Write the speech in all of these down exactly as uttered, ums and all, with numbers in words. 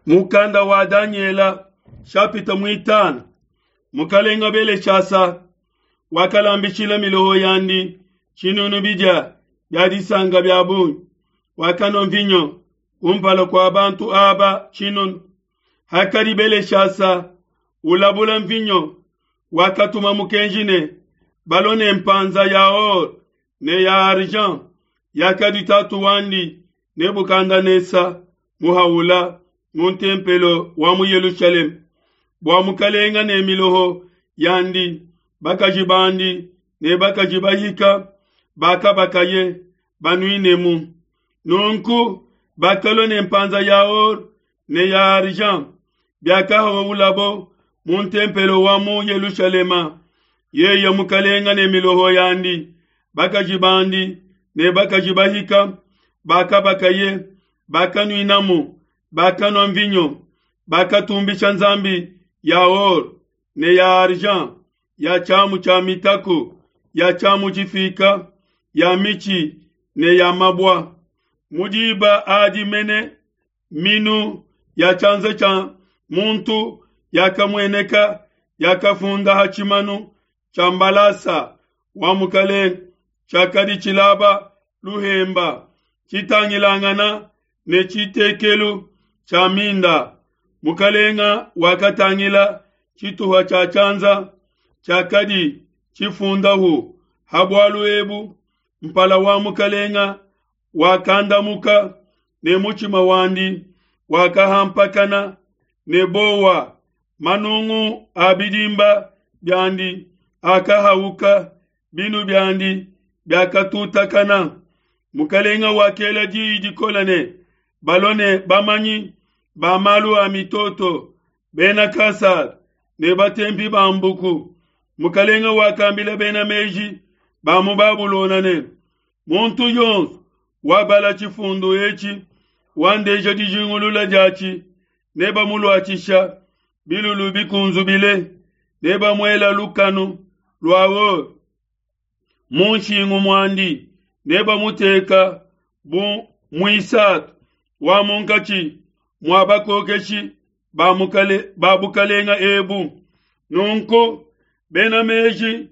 Mukanda wa Daniela chapitre mwitano. Mukalenga Beleshasa wakalambishila miloho yandi tshinunu bidia bia disanka bia bungi, wakanua mvinyo kumpala kua bantu aba tshinunu. Hakadi Beleshasa ulabula mvinyo, wakatuma mukenji ne balue ne mpanza ya or ne ya argent yakadi tatu wandi Nebukadnesa muhaula mu ntempelo wa mu Yelushalema, bua mukalenga ne miloho yandi, bakaji bandi ne bakaji bahika bakabakaye banuinemu. Nunku bakalua ne mpanza ya or ne ya argent biakahaulabo mu ntempelo wa mu Yelushalema, yeye mukalenga ne miloho yandi, bakaji bandi ne bakaji bahika bakabakaye bakanuinamu, bakanua mvinyo, bakatumbisha nzambi ya or ne ya argent, ya tshiamu tshia mitaku, ya tshiamu tshifika, ya mitshi ne ya mabua. Mu diba adi mene minu ya tshianza tshia muntu yakamueneka, yakafunda ha tshimanu tshia mbalasa wa mukalenge tshiakadi tshilaba luhemba, tshitangilangana ne tshitekelu tshia minda. Mukalenga wakatangila tshituha tshia tshianza tshiakadi tshifundahu ha bualu ebu. Mpala wa mukalenga wakandamuka ne mutshima wandi wakahampakana ne bowa, manungu a bidimba biandi akahauka, binu biandi biakatutakana. Mukalenga wakela diyi dikole ne balue ne bamanyi ba malu a mitoto, bena Kasada ne batempi ba mbuku. Mukalenga wakambila bena meji ba mu Babulona ne, muntu yonso wabala tshifundu etshi wandeja dijingulula diatshi, nebamuluatshisha bilulu bikunzubile, nebamuela lukanu lua or mu nshingu muandi, nebamuteka bu muisatu wa munkatshi mua bakokeshi ba mukale ba bukalenga ebu. Nunku bena meji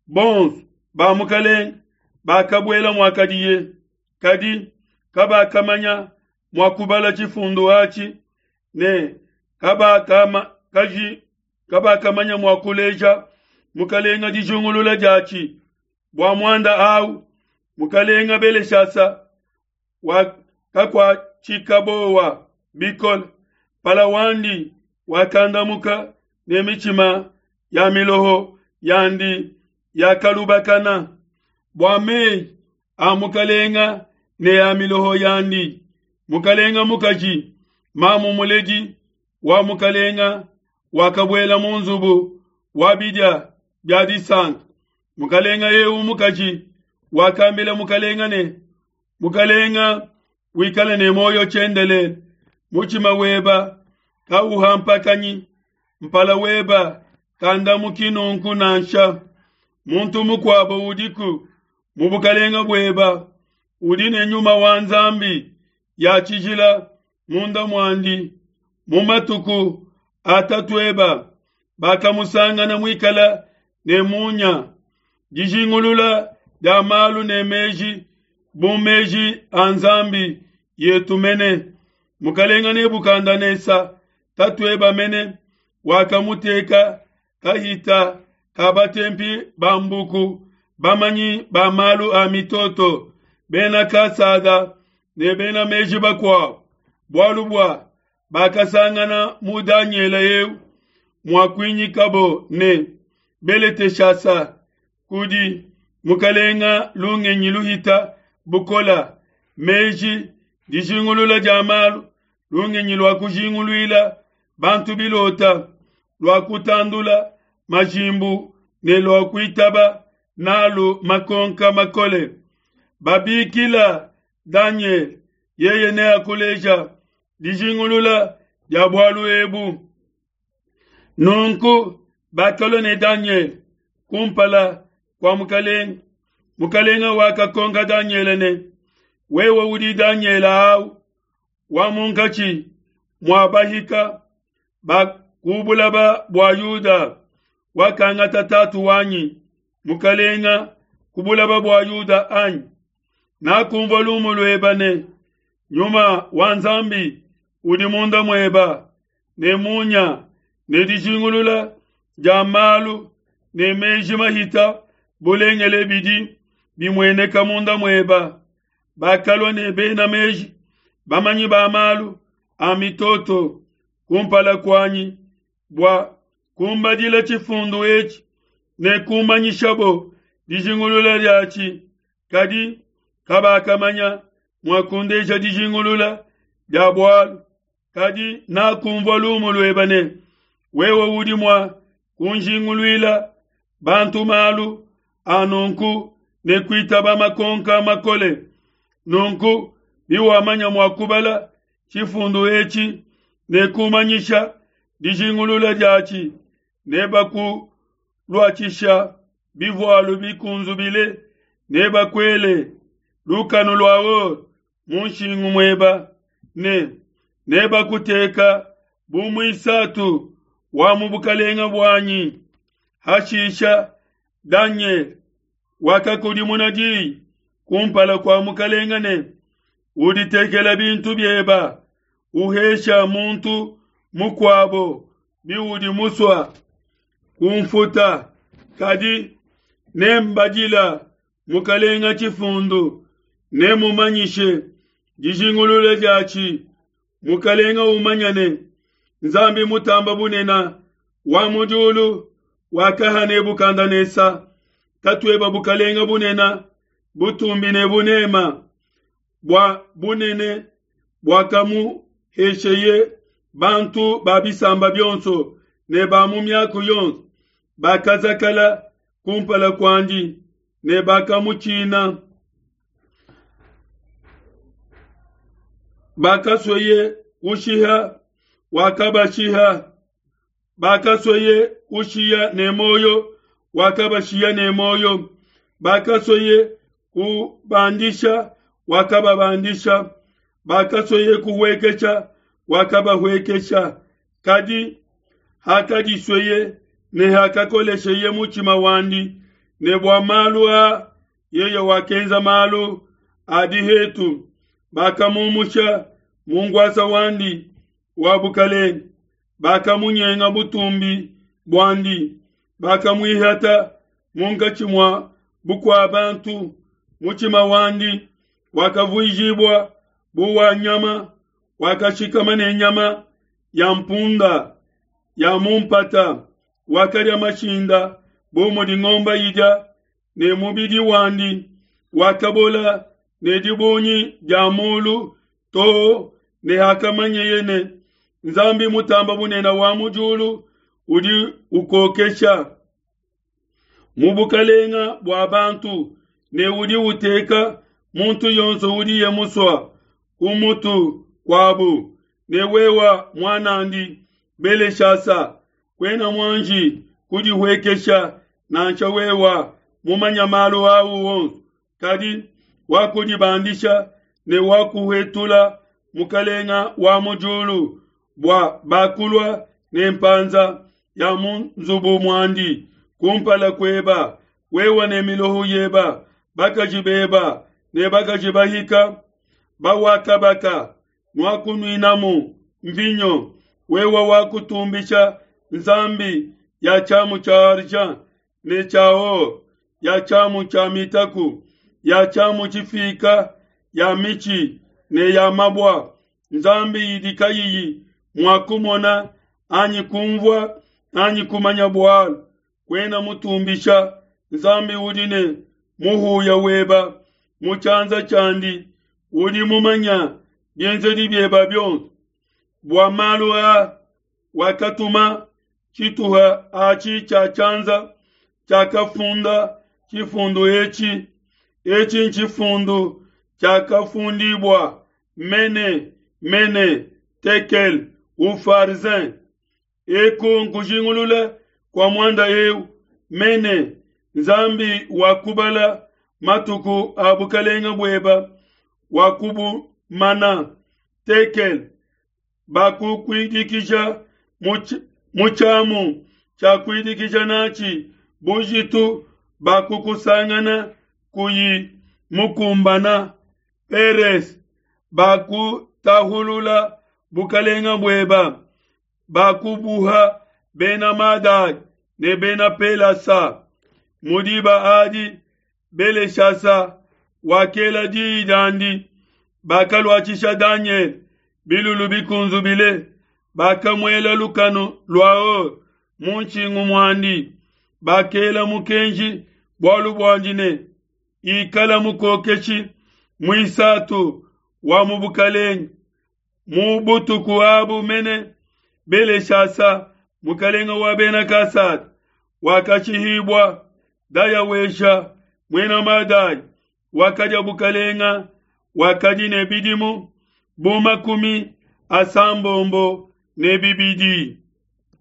bonso ba mukalenga bakabuela muakadiye, kadi kabakamanya mua kubala tshifundu atshi ne kabakama kaji kabakamanya mua kuleja mukalenga dijingulula diatshi. Bua muanda au mukalenga Beleshasa wakakuatshika bowa bikole, mpala wandi wakandamuka ne mitshima ya miloho yandi yakalubakana. Bua meyi a mukalenga ne a miloho yandi, mukalenga mukaji mamu muledi wa mukalenga wakabuela mu nzubu wa bidia bia disanka. Mukalenga eu mukaji wakambila mukalenga ne, mukalenga wikale ne moyo tshiendelele, mutshima weba kauhampakanyi, mpala weba kandamuki nunku nansha. Muntu mukuabo udiku mu bukalenga bueba udi ne nyuma wa Nzambi ya tshijila munda muandi. Mu matuku atatu eba bakamusangana muikala ne munya, dijingulula dia malu ne meji bu meji a Nzambi yetu mene. Mukalenga Nebukadnesa tatueba mene wakamuteka kahita ka batempi ba mbuku, bamanyi ba malu a mitoto, bena Kasada ne bena meji bakuabo, bualu bua bakasangana mu Daniela eu muakuinyikabo ne Beleteshasa kudi mukalenga lungenyi luhita bukola, meji, dijingulula dia malu, lungenyi lua kujinguluila bantu bilota, lua kutandula majimbu ne lua kuitaba nalu makonka makole. Babikila Daniel, yeye neakuleja dijingulula dia bualu ebu. Nunku bakalua ne Daniel kumpala kua mukalenga. Mukalenga wakakonka Daniel ne, wewe udi Daniel au wa munkatshi mua bahika ba ku bulaba bua Yuda wakangata tatu wanyi mukalenga ku bulaba bua Yuda anyi? Nakumvua lumu lueba ne nyuma wa Nzambi udi munda mueba ne munya ne dijingulula dia malu ne meji mahita bulengele bidi bimueneka munda mueba. Bakalua ne bena meji bamanyi ba malu a mitoto kumpala kuanyi bua kumbadila tshifundu etshi ne kumanyishabo dijingulula diatshi, kadi kabakamanya mua kundeja dijingulula dia bualu. Kadi nakumvua lumu lueba ne wewe udi mua kunjinguluila bantu malu a nunku ne kuitaba makonka makole. Nunku biwamanya mua kubala tshifundu etshi ne kumanyisha dijingulula diatshi, nebakuluatshisha bivualu bikunzubile, nebakuele lukanu lua or mu nshingu mueba, ne nebakuteka bu muisatu wa mu bukalenga buanyi. Hashisha Danyele wakakudimuna diyi kumpala kua mukalenga ne, uditekela bintu bieba, uhesha muntu mukuabo biudi musua kumfuta, kadi nembadila mukalenga tshifundu, nemumanyishe dijingulula diatshi. Mukalenga umanya ne Nzambi mutamba bunena wa mu diulu wakaha Nebukadnesa tatueba bukalenga bunena, butumbi ne bunema bua bunene buakamuhesheye bantu ba bisamba bionso ne ba mu miaku yonso bakazakala kumpala kuandi ne bakamutshina. Bakasweye kushiha wakabashiha, bakasweye kushiya ne moyo wakabashiya ne moyo, bakasweye kubandisha wakababandisha, bakasweye kuhuekesha wakabahwekesha. Kadi hakadisweye ne hakakolesheye mutshima wandi ne bua malu a yeye wakenza malu a dihetu, bakamumusha mu ngwasa wandi wa bukalenge, bakamunyenga butumbi buandi, bakamuihata munkatshi mua bukua bantu. Mutshima wandi wakavuijibua bu wa nyama, wakashikama ne nyama ya mpunda ya mu mpata, wakadia mashinda bu mudi ngomba idia, ne mubidi wandi wakabola ne dibungi dia mulu too ne hakamanyeye ne Nzambi mutamba bunene wa mu diulu udi ukokesha mu bukalenga bua bantu ne udi uteka muntu yonso udiye musua ku mutu kuabu. Ne wewa mwanandi Beleshasa, kwena mwanji kudihuekesha nansha wewa mumanya malu au wonso, kadi wakudibandisha ne wakuhetula mukalenga wa mu diulu bua bakulua ne mpanza ya mu nzubu muandi kumpala kueba, wewa ne miloho yeba, bakaji beba ne bakaji bahika bawakabaka nuakunuinamu mvinyo. Wewa wakutumbisha nzambi ya tshiamu tshia argent ne tshia or, ya tshiamu tshia mitaku, ya tshiamu tshifika, ya mitshi ne ya mabua, nzambi idi kayiyi mua kumona anyi kumvua anyi kumanya bualu. Kwena mutumbisha nzambi udi ne muhuya weba mu tshianza tshiandi, udi mumanya bienzedi bieba bionso. Bua malu a wakatuma tshituha atshi tshia tshianza tshiakafunda tshifundu etshi. Etshi ntshifundu tshiakafundibua mene mene tekel ufarzin. Eku nkujingulula kua muanda eu mene Nzambi wakubala matuku a bukalenga bueba wakubumana tekel Bakukuidikija mu tshiamu tshia kuidikija natshi bujitu, bakukusangana kuyi mukumbana. Peres, bakutahulula bukalenga bueba, bakubuha bena Madai ne bena Pelasa. Mu diba adi Beleshasa wakela diyi diandi, bakaluatshisha Danyele bilulu bikunzubile, bakamuela lukanu lua or mu nshingu muandi, bakela mukenji bualu buandi ne, ikala mukokeshi muisatu wa mu bukalenge. Mu butuku abu mene Beleshasa mukalenga wa bena Kasada wakashihibua. Dayawesha muena Madai wakadia bukalenga, wakadi ne bidimu bu makumi asambombo ne bibidi.